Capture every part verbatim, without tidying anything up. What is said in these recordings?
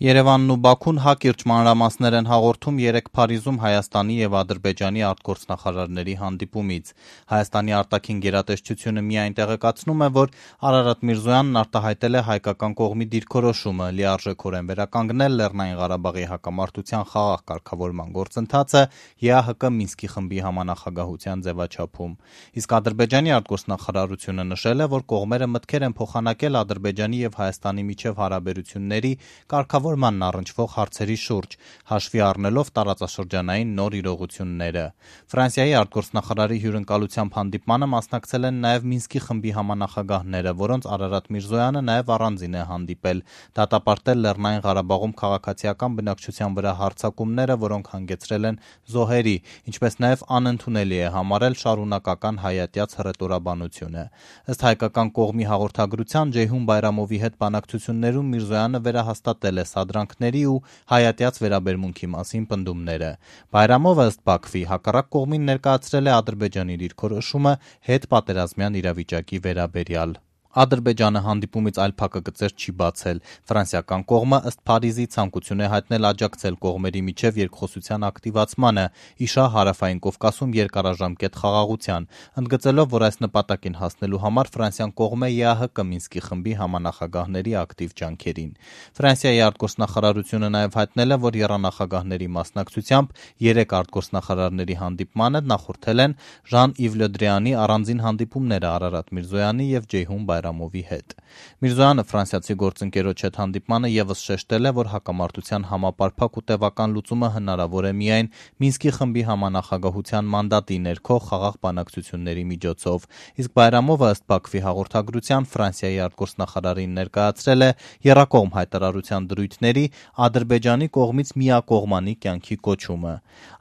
Երևանն ու Բաքուն հակիրճ մանրամասներ են հաղորդում երեկ Փարիզում Հայաստանի եւ Ադրբեջանի արտգործնախարարների հանդիպումից։ Հայաստանի արտաքին գերատեսչությունը միայն տեղեկացնում է, որ Արարատ Միրզոյանն արտահայտել է հայկական կողմի դիրքորոշումը լիարժեքորեն վերականգնել Լեռնային Ղարաբաղի հակամարտության խաղաղ կարգավորման գործընթացը ԵԱՀԿ Մինսկի խմբի համանախագահության ձևաչափում։ Իսկ Ադրբեջանի արտգործնախարարությունը նշել է, որ կողմերը մտքեր են փոխանակել Ադրբեջանի եւ Հայաստանի միջև հարաբերությունների կարգավոր ման առնչվող հարցերի շուրջ, հաշվի առնելով տարածաշրջանային նոր իրողությունները։ Ֆրանսիայի արտգործնախարարի հյուրընկալությամբ հանդիպմանը մասնակցել են նաև Մինսկի խմբի համանախագահները, որոնց Արարատ Միրզոյանը նաև առանձին է հանդիպել, դատապարտել Լեռնային Ղարաբաղում քաղաքացիական բնակչության վրա հարձակումները, որոնք հանգեցրել են զոհերի, ինչպես նաև անընդունելի է համարել շարունակական հայատյաց հռետորաբանությունը։ Ըստ հայկական կողմի հաղորդագրության Ջեյհուն Բայրամովի հետ բանակցություններում Միրզոյանը վերահաստատել է սադրանքների ու հայատյաց վերաբերմունքի մասին պնդումները։ Բայրամովը ըստ Բաքվի հակառակ կողմին ներկայացրել է Ադրբեջանի դիրքորոշումը հետպատերազմյան իրավիճակի վերաբերյալ։ Ադրբեջանը հանդիպումից այլ փակագծեր չի բացել։ Ֆրանսիական կողմը ըստ Փարիզի ցանկություն է հայտնել աջակցել կողմերի միջև երկխոսության ակտիվացմանը, իշա Հարավային Կովկասում երկարաժամկետ խաղաղության, ընդգծելով, որ այս նպատակին հասնելու համար Ֆրանսիան կողմ է ԵԱՀԿ Մինսկի խմբի համանախագահների ակտիվ ջանքերին։ Ֆրանսիայի արտգործնախարարությունը նաև հայտնել է, որ եռանախագահների մասնակցությամբ երեք արտգործնախարարների հանդիպմանը նախորդել են Ժան-Իվ Լը Դրեանի առանձին հանդիպումները Արարատ Միրզոյանի եւ Ջեյհուն Բայրամովի հետ։ Միրզոյանը ֆրանսիացի գործընկերոջ հետ հանդիպմանը եւս շեշտել է, որ հակամարտության համապարփակ ու տևական լուծումը հնարավոր է միայն Մինսկի խմբի համանախագահության մանդատի ներքո խաղաղ բանակցությունների միջոցով։ Իսկ Բայրամովը ըստ Բաքվի հաղորդագրության Ֆրանսիայի արտգործնախարարին ներկայացրել է եռակողմ հայտարարության դրույթների Ադրբեջանի կողմից միակողմանի կյանքի կոչումը։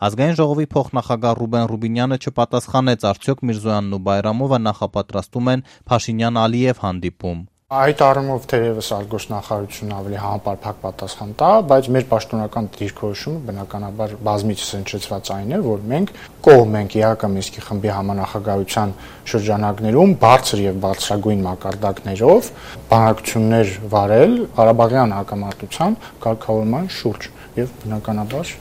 Ազգային ժողովի փոխնախագահ Ռուբեն Ռուբինյանը չպատասխանեց, արդյոք Միրզոյանն ու Բայրամովը նախապատրաստում են Փաշինյան-Ալիև հանդիպում։ Այդ առումով թերևս արտգործնախարարությունն ավելի համապարփակ պատասխան տա, բայց մեր պաշտոնական դիրքորոշումը բնականաբար բազմիցս հնչեցված այն է, որ մենք կողմ ենք ԵԱՀԿ Մինսկի խմբի համանախագահության շրջանակներում բարձր եւ բարձրագույն մակարդակներով բանակցություններ վարել Ղարաբաղյան հակամարտության կարգավորման շուրջ եւ բնականաբար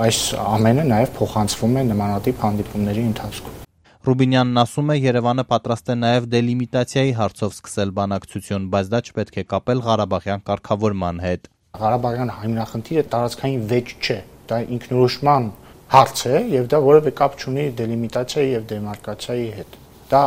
այս ամենը նաեւ փոխանցվում է նմանատիպ հանդիպումների ընթացքում։ Ռուբինյանն ասում է, Երևանը պատրաստ է նաև դելիմիտացիայի հարցով սկսել բանակցություն, բայց դա չպետք է կապել Ղարաբաղյան կարգավորման հետ։ Ղարաբաղյան հիմնախնդիրը տարածքային վեճ չէ, դա ինքնորոշման հարց է եւ դա որևէ կապ չունի դելիմիտացիայի եւ դեմարկացիայի հետ։ Դա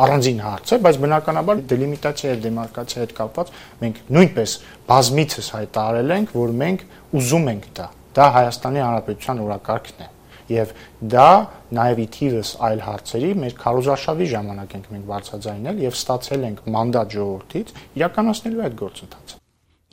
առանձին հարց է, բայց բնականաբար դելիմիտացիա եւ դեմարկացիայի հետ կապված մենք նույնպես բազմիցս հայտարարել ենք, որ մենք ուզում ենք դա։ Դա Հայաստանի Հանրապետության օրակարգն է։ Եվ դա նաև ի թիվս այլ հարցերի մեր քարոզարշավի ժամանակ ենք մենք բարձրաձայնել եւ ստացել ենք մանդատ ժողովրդից իրականացնելու այդ գործընթացը։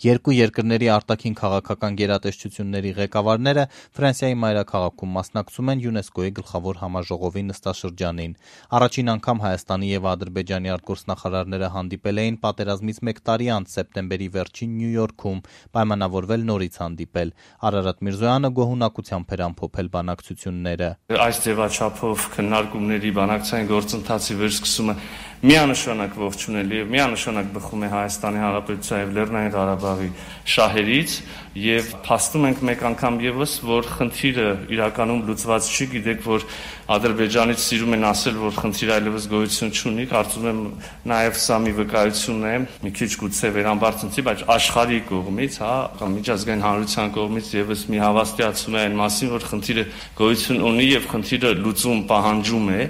Երկու երկրների արտաքին քաղաքական գերատեսչությունների ղեկավարները Ֆրանսիայի մայրաքաղաքում մասնակցում են ՅՈՒՆԵՍԿՕ-ի գլխավոր համաժողովի նստաշրջանին։ Առաջին անգամ Հայաստանի եւ Ադրբեջանի արտգործնախարարները հանդիպել էին պատերազմից մեկ տարի անց սեպտեմբերի վերջին Նյու Յորքում, պայմանավորվել նորից հանդիպել։ Արարատ Միրզոյանը գոհունակությամբ էր ամփոփել բանակցությունները։ Այս ձևաչափով քննարկումների բանակցային գործընթացի վերսկսումը միանշանակ ողջունելի եւ միանշանակ բխում է Հայաստանի Հանրապետության եւ Լեռնային Ղարաբաղի շահերից եւ փաստում ենք մեկ անգամ եւս, որ խնդիրը իրականում լուծված չի, գիտեք, որ Ադրբեջանից սիրում են ասել, որ խնդիրը այլևս գոյություն չունի, կարծում եմ նաեւ սա մի վկայություն է, մի քիչ գուցե վերամբարձնցի, բայց աշխարհի կողմից, հա, միջազգային հանրության կողմից եւս մի հավաստիացում է այն մասին, որ խնդիրը գոյություն ունի եւ խնդիրը լուծում պահանջում է։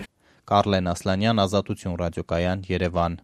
Կարլեն Ասլանյան, Ազատություն ռադիոկայան, Երևան։